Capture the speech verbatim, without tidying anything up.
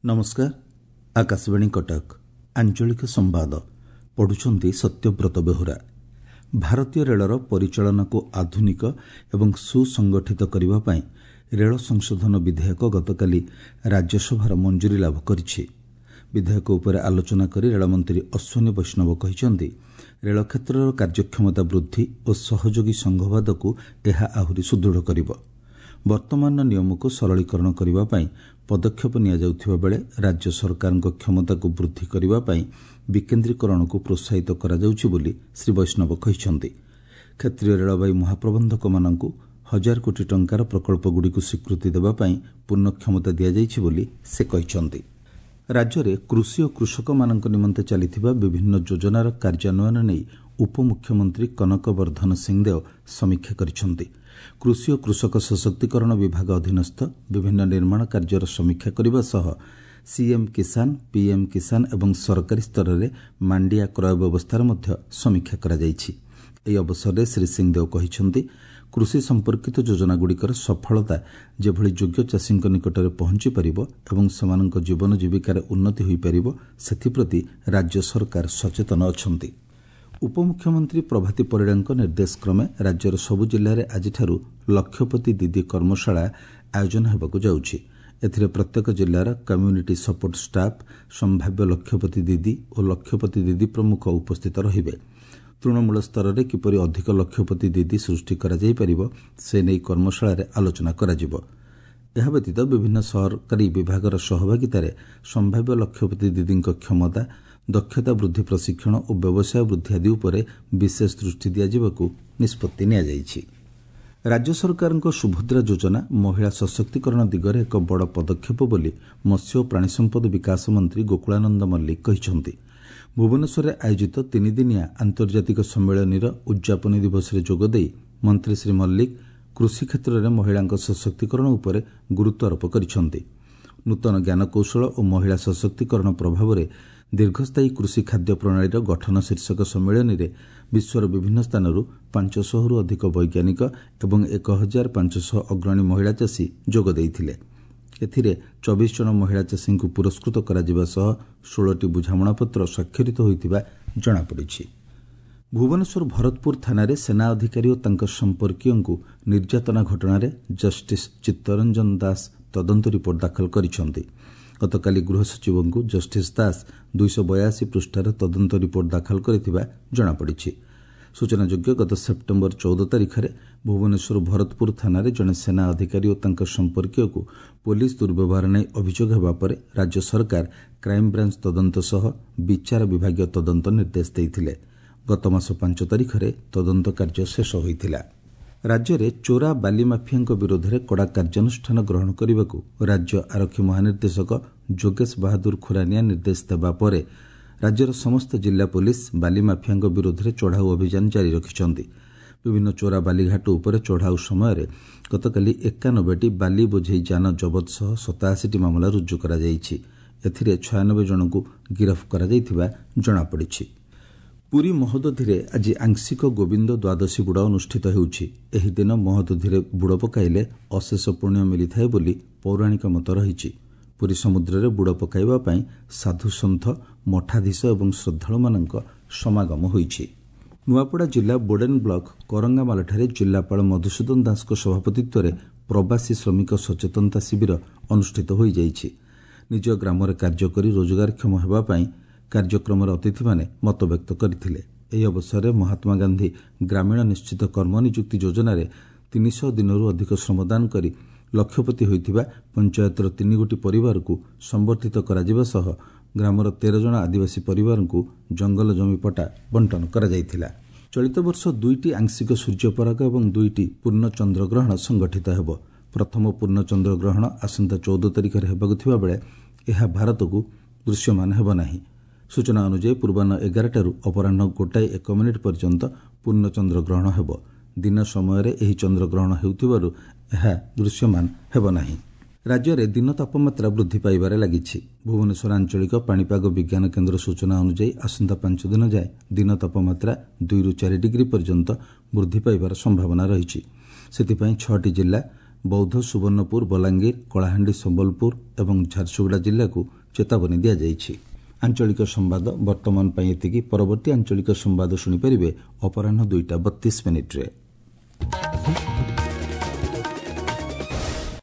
ନମସ୍କାର, ଆକାଶବାଣୀ କଟକ, ଆଞ୍ଚଳିକ ସମ୍ବାଦ ପଢୁଛନ୍ତି ସତ୍ୟବ୍ରତ ବେହୁରା। ଭାରତୀୟ ରେଳର ପରିଚାଳନାକୁ ଆଧୁନିକ ଏବଂ ସୁସଂଗଠିତ କରିବା ପାଇଁ ରେଳ ସଂଶୋଧନ ବିଧେୟକ ଗତକାଲି ରାଜ୍ୟସଭାର ମଞ୍ଜୁରୀ ଲାଭ କରିଛି। ବିଧେୟକ ଉପରେ ଆଲୋଚନା କରି ରେଳମନ୍ତ୍ରୀ ଅଶ୍ୱିନୀ ବୈଷ୍ଣବ କହିଛନ୍ତି, ରେଳ କ୍ଷେତ୍ରର କାର୍ଯ୍ୟକ୍ଷମତା ବୃଦ୍ଧି ଓ ସହଯୋଗୀ ସଂଘବାଦକୁ ଏହା ଆହୁରି ସୁଦୃଢ଼ କରିବ। ବର୍ତ୍ତମାନର ନିୟମକୁ ସରଳୀକରଣ କରିବା ପାଇଁ ପଦକ୍ଷେପ ନିଆଯାଉଥିବା ବେଳେ ରାଜ୍ୟ ସରକାରଙ୍କ କ୍ଷମତାକୁ ବୃଦ୍ଧି କରିବା ପାଇଁ ବିକେନ୍ଦ୍ରୀକରଣକୁ ପ୍ରୋତ୍ସାହିତ କରାଯାଉଛି ବୋଲି ଶ୍ରୀ ବୈଷ୍ଣବ କହିଛନ୍ତି। କ୍ଷେତ୍ରୀୟ ରେଳବାଇ ମହାପ୍ରବନ୍ଧକମାନଙ୍କୁ ହଜାର କୋଟି ଟଙ୍କାର ପ୍ରକଳ୍ପଗୁଡ଼ିକୁ ସ୍ୱୀକୃତି ଦେବା ପାଇଁ ପୂର୍ଣ୍ଣ କ୍ଷମତା ଦିଆଯାଇଛି ବୋଲି ସେ କହିଛନ୍ତି। ରାଜ୍ୟରେ କୃଷି ଓ କୃଷକମାନଙ୍କ ନିମନ୍ତେ ଚାଲିଥିବା ବିଭିନ୍ନ ଯୋଜନାର କାର୍ଯ୍ୟାନ୍ୱୟନ ନେଇ ଉପମୁଖ୍ୟମନ୍ତ୍ରୀ କନକ ବର୍ଦ୍ଧନ ସିଂଦେଓ ସମୀକ୍ଷା କରିଛନ୍ତି। କୃଷି ଓ କୃଷକ ସଶକ୍ତିକରଣ ବିଭାଗ ଅଧୀନସ୍ଥ ବିଭିନ୍ନ ନିର୍ମାଣ କାର୍ଯ୍ୟର ସମୀକ୍ଷା କରିବା ସହ ସିଏମ୍ କିଷାନ, ପିଏମ୍ କିଷାନ ଏବଂ ସରକାରୀ ସ୍ତରରେ ମାଣ୍ଡିଆ କ୍ରୟ ବ୍ୟବସ୍ଥାର ମଧ୍ୟ ସମୀକ୍ଷା କରାଯାଇଛି। ଏହି ଅବସରରେ ଶ୍ରୀ ସିଂଦେଓ କହିଛନ୍ତି, କୃଷି ସମ୍ପର୍କିତ ଯୋଜନାଗୁଡ଼ିକର ସଫଳତା ଯେଭଳି ଯୋଗ୍ୟ ଚାଷୀଙ୍କ ନିକଟରେ ପହଞ୍ଚିପାରିବ ଏବଂ ସେମାନଙ୍କ ଜୀବନ ଜୀବିକାରେ ଉନ୍ନତି ହୋଇପାରିବ, ସେଥିପ୍ରତି ରାଜ୍ୟ ସରକାର ସଚେତନ ଅଛନ୍ତି। ଉପମୁଖ୍ୟମନ୍ତ୍ରୀ ପ୍ରଭାତୀ ପରିଡ଼ାଙ୍କ ନିର୍ଦ୍ଦେଶକ୍ରମେ ରାଜ୍ୟର ସବୁ ଜିଲ୍ଲାରେ ଆଜିଠାରୁ ଲକ୍ଷପତି ଦିଦି କର୍ମଶାଳା ଆୟୋଜନ ହେବାକୁ ଯାଉଛି। ଏଥିରେ ପ୍ରତ୍ୟେକ ଜିଲ୍ଲାର କମ୍ୟୁନିଟି ସପୋର୍ଟ ଷ୍ଟାଫ୍, ସମ୍ଭାବ୍ୟ ଲକ୍ଷପତି ଦିଦି ଓ ଲକ୍ଷପତି ଦିଦି ପ୍ରମୁଖ ଉପସ୍ଥିତ ରହିବେ। ତୃଣମୂଳ ସ୍ତରରେ କିପରି ଅଧିକ ଲକ୍ଷପତି ଦିଦି ସୃଷ୍ଟି କରାଯାଇପାରିବ, ସେ ନେଇ କର୍ମଶାଳାରେ ଆଲୋଚନା କରାଯିବ। ଏହା ବ୍ୟତୀତ ବିଭିନ୍ନ ସରକାରୀ ବିଭାଗର ସହଭାଗିତାରେ ସମ୍ଭାବ୍ୟ ଲକ୍ଷପତି ଦିଦିଙ୍କ କ୍ଷମତା, ଦକ୍ଷତା ବୃଦ୍ଧି ପ୍ରଶିକ୍ଷଣ ଓ ବ୍ୟବସାୟ ବୃଦ୍ଧି ଆଦି ଉପରେ ବିଶେଷ ଦୃଷ୍ଟି ଦିଆଯିବାକୁ ନିଷ୍ପତ୍ତି ନିଆଯାଇଛି। ରାଜ୍ୟ ସରକାରଙ୍କ ସୁଭଦ୍ରା ଯୋଜନା ମହିଳା ସଶକ୍ତିକରଣ ଦିଗରେ ଏକ ବଡ଼ ପଦକ୍ଷେପ ବୋଲି ମତ୍ସ୍ୟ ଓ ପ୍ରାଣୀସମ୍ପଦ ବିକାଶ ମନ୍ତ୍ରୀ ଗୋକୁଳାନନ୍ଦ ମଲ୍ଲିକ କହିଛନ୍ତି। ଭୁବନେଶ୍ୱରରେ ଆୟୋଜିତ ତିନିଦିନିଆ ଆନ୍ତର୍ଜାତିକ ସମ୍ମିଳନୀର ଉଦ୍ଯାପନୀ ଦିବସରେ ଯୋଗଦେଇ ମନ୍ତ୍ରୀ ଶ୍ରୀ ମଲ୍ଲିକ କୃଷି କ୍ଷେତ୍ରରେ ମହିଳାଙ୍କ ସଶକ୍ତିକରଣ ଉପରେ ଗୁରୁତ୍ୱାରୋପ କରିଛନ୍ତି। ନୂତନ ଜ୍ଞାନକୌଶଳ ଓ ମହିଳା ସଶକ୍ତିକରଣ ପ୍ରଭାବରେ ଦୀର୍ଘସ୍ଥାୟୀ କୃଷି ଖାଦ୍ୟ ପ୍ରଣାଳୀର ଗଠନ ଶୀର୍ଷକ ସମ୍ମିଳନୀରେ ବିଶ୍ୱର ବିଭିନ୍ନ ସ୍ଥାନରୁ ପାଞ୍ଚଶହରୁ ଅଧିକ ବୈଜ୍ଞାନିକ ଏବଂ ଏକ ହଜାର ପାଞ୍ଚଶହ ଅଗ୍ରଣୀ ମହିଳା ଚାଷୀ ଯୋଗ ଦେଇଥିଲେ। ଏଥିରେ ଚବିଶ ଜଣ ମହିଳା ଚାଷୀଙ୍କୁ ପୁରସ୍କୃତ କରାଯିବା ସହ ଷୋହଳଟି ବୁଝାମଣାପତ୍ର ସ୍ୱାକ୍ଷରିତ ହୋଇଥିବା ଜଣାପଡ଼ିଛି। ଭୁବନେଶ୍ୱର ଭରତପୁର ଥାନାରେ ସେନା ଅଧିକାରୀ ଓ ତାଙ୍କ ସମ୍ପର୍କୀୟଙ୍କୁ ନିର୍ଯାତନା ଘଟଣାରେ ଜଷ୍ଟିସ୍ ଚିତ୍ତରଞ୍ଜନ ଦାସ ତଦନ୍ତ ରିପୋର୍ଟ ଦାଖଲ କରିଛନ୍ତି। ଗତକାଲି ଗୃହ ସଚିବଙ୍କୁ ଜଷ୍ଟିସ୍ ଦାସ ଦୁଇଶହ ବୟାଅଶୀ ପୃଷ୍ଠାର ତଦନ୍ତ ରିପୋର୍ଟ ଦାଖଲ କରିଥିବା ଜଣାପଡ଼ିଛି। ସୂଚନାଯୋଗ୍ୟ, ଗତ ସେପ୍ଟେମ୍ବର ଚଉଦ ତାରିଖରେ ଭୁବନେଶ୍ୱର ଭରତପୁର ଥାନାରେ ଜଣେ ସେନା ଅଧିକାରୀ ଓ ତାଙ୍କ ସମ୍ପର୍କୀୟକୁ ପୋଲିସ ଦୁର୍ବ୍ୟବହାର ନେଇ ଅଭିଯୋଗ ହେବା ପରେ ରାଜ୍ୟ ସରକାର କ୍ରାଇମବ୍ରାଞ୍ଚ ତଦନ୍ତ ସହ ବିଚାର ବିଭାଗୀୟ ତଦନ୍ତ ନିର୍ଦ୍ଦେଶ ଦେଇଥିଲେ। ଗତମାସ ପାଞ୍ଚ ତାରିଖରେ ତଦନ୍ତ କାର୍ଯ୍ୟ ଶେଷ ହୋଇଥିଲା। ରାଜ୍ୟରେ ଚୋରା ବାଲି ମାଫିଆଙ୍କ ବିରୋଧରେ କଡ଼ା କାର୍ଯ୍ୟାନୁଷ୍ଠାନ ଗ୍ରହଣ କରିବାକୁ ରାଜ୍ୟ ଆରକ୍ଷୀ ମହାନିର୍ଦ୍ଦେଶକ ଯୋଗେଶ ବାହାଦୁର ଖୁରାନିଆ ନିର୍ଦ୍ଦେଶ ଦେବା ପରେ ରାଜ୍ୟର ସମସ୍ତ ଜିଲ୍ଲା ପୋଲିସ ବାଲି ମାଫିଆଙ୍କ ବିରୋଧରେ ଚଢ଼ାଉ ଅଭିଯାନ ଜାରି ରଖିଛନ୍ତି। ବିଭିନ୍ନ ଚୋରା ବାଲିଘାଟ ଉପରେ ଚଢ଼ାଉ ସମୟରେ ଗତକାଲି ଏକାନବେଟି ବାଲି ବୋଝେଇ ଯାନ ଜବତ ସହ ସତାଅଶୀଟି ମାମଲା ରୁଜୁ କରାଯାଇଛି। ଏଥିରେ ଛୟାନବେ ଜଣଙ୍କୁ ଗିରଫ କରାଯାଇଥିବା ଜଣାପଡ଼ିଛି। ପୁରୀ ମହୋଦଧିରେ ଆଜି ଆଂଶିକ ଗୋବିନ୍ଦ ଦ୍ୱାଦଶୀ ବୁଡ଼ ଅନୁଷ୍ଠିତ ହେଉଛି। ଏହି ଦିନ ମହୋଦଧିରେ ବୁଡ଼ ପକାଇଲେ ଅଶେଷ ପୁଣ୍ୟ ମିଳିଥାଏ ବୋଲି ପୌରାଣିକ ମତ ରହିଛି। ପୁରୀ ସମୁଦ୍ରରେ ବୁଡ଼ ପକାଇବା ପାଇଁ ସାଧୁସନ୍ଥ, ମଠାଧୀଶ ଏବଂ ଶ୍ରଦ୍ଧାଳୁମାନଙ୍କ ସମାଗମ ହୋଇଛି। ନୂଆପଡ଼ା ଜିଲ୍ଲା ବୋଡେନ୍ ବ୍ଲକ କରଙ୍ଗାମାଲଠାରେ ଜିଲ୍ଲାପାଳ ମଧୁସୂଦନ ଦାସଙ୍କ ସଭାପତିତ୍ୱରେ ପ୍ରବାସୀ ଶ୍ରମିକ ସଚେତନତା ଶିବିର ଅନୁଷ୍ଠିତ ହୋଇଯାଇଛି। ନିଜ ଗ୍ରାମରେ କାର୍ଯ୍ୟ କରି ରୋଜଗାରକ୍ଷମ ହେବା ପାଇଁ କାର୍ଯ୍ୟକ୍ରମରେ ଅତିଥିମାନେ ମତବ୍ୟକ୍ତ କରିଥିଲେ। ଏହି ଅବସରରେ ମହାତ୍ମା ଗାନ୍ଧୀ ଗ୍ରାମୀଣ ନିଶ୍ଚିତ କର୍ମ ନିଯୁକ୍ତି ଯୋଜନାରେ ତିନିଶହ ଦିନରୁ ଅଧିକ ଶ୍ରମଦାନ କରି ଲକ୍ଷପତି ହୋଇଥିବା ପଞ୍ଚାୟତର ତିନିଗୋଟି ପରିବାରକୁ ସମ୍ବର୍ଦ୍ଧିତ କରାଯିବା ସହ ଗ୍ରାମର ତେର ଜଣ ଆଦିବାସୀ ପରିବାରଙ୍କୁ ଜଙ୍ଗଲ ଜମି ପଟ୍ଟା ବଣ୍ଟନ କରାଯାଇଥିଲା। ଚଳିତ ବର୍ଷ ଦୁଇଟି ଆଂଶିକ ସୂର୍ଯ୍ୟପରାଗ ଏବଂ ଦୁଇଟି ପୂର୍ଣ୍ଣ ଚନ୍ଦ୍ରଗ୍ରହଣ ସଂଗଠିତ ହେବ। ପ୍ରଥମ ପୂର୍ଣ୍ଣ ଚନ୍ଦ୍ରଗ୍ରହଣ ଆସନ୍ତା ଚଉଦ ତାରିଖରେ ହେବାକୁ ଥିବାବେଳେ ଏହା ଭାରତକୁ ଦୃଶ୍ୟମାନ ହେବ ନାହିଁ। ସୂଚନା ଅନୁଯାୟୀ ପୂର୍ବାହ୍ନ ଏଗାରଟାରୁ ଅପରାହ୍ନ ଗୋଟାଏ ଏକ ମିନିଟ୍ ପର୍ଯ୍ୟନ୍ତ ପୂର୍ଣ୍ଣ ଚନ୍ଦ୍ରଗ୍ରହଣ ହେବ। ଦିନ ସମୟରେ ଏହି ଚନ୍ଦ୍ରଗ୍ରହଣ ହେଉଥିବାରୁ ଏହା ଦୃଶ୍ୟମାନ ହେବ ନାହିଁ। ରାଜ୍ୟରେ ଦିନ ତାପମାତ୍ରା ବୃଦ୍ଧି ପାଇବାରେ ଲାଗିଛି। ଭୁବନେଶ୍ୱର ଆଞ୍ଚଳିକ ପାଣିପାଗ ବିଜ୍ଞାନ କେନ୍ଦ୍ର ସୂଚନା ଅନୁଯାୟୀ ଆସନ୍ତା ପାଞ୍ଚ ଦିନ ଯାଏଁ ଦିନ ତାପମାତ୍ରା ଦୁଇରୁ ଚାରି ଡିଗ୍ରୀ ପର୍ଯ୍ୟନ୍ତ ବୃଦ୍ଧି ପାଇବାର ସମ୍ଭାବନା ରହିଛି। ସେଥିପାଇଁ ଛଅଟି ଜିଲ୍ଲା ବୌଦ୍ଧ, ସୁବର୍ଣ୍ଣପୁର, ବଲାଙ୍ଗୀର, କଳାହାଣ୍ଡି, ସମ୍ବଲପୁର ଏବଂ ଝାରସୁଗୁଡ଼ା ଜିଲ୍ଲାକୁ ଚେତାବନୀ ଦିଆଯାଇଛି। ଆଞ୍ଚଳିକ ସମ୍ବାଦ ବର୍ତ୍ତମାନ ପାଇଁ ଏତିକି। ପରବର୍ତ୍ତୀ ଆଞ୍ଚଳିକ ସମ୍ବାଦ ଶୁଣିପାରିବେ ଅପରାହ୍ନ ଦୁଇଟା ବତିଶ ମିନିଟ୍ରେ।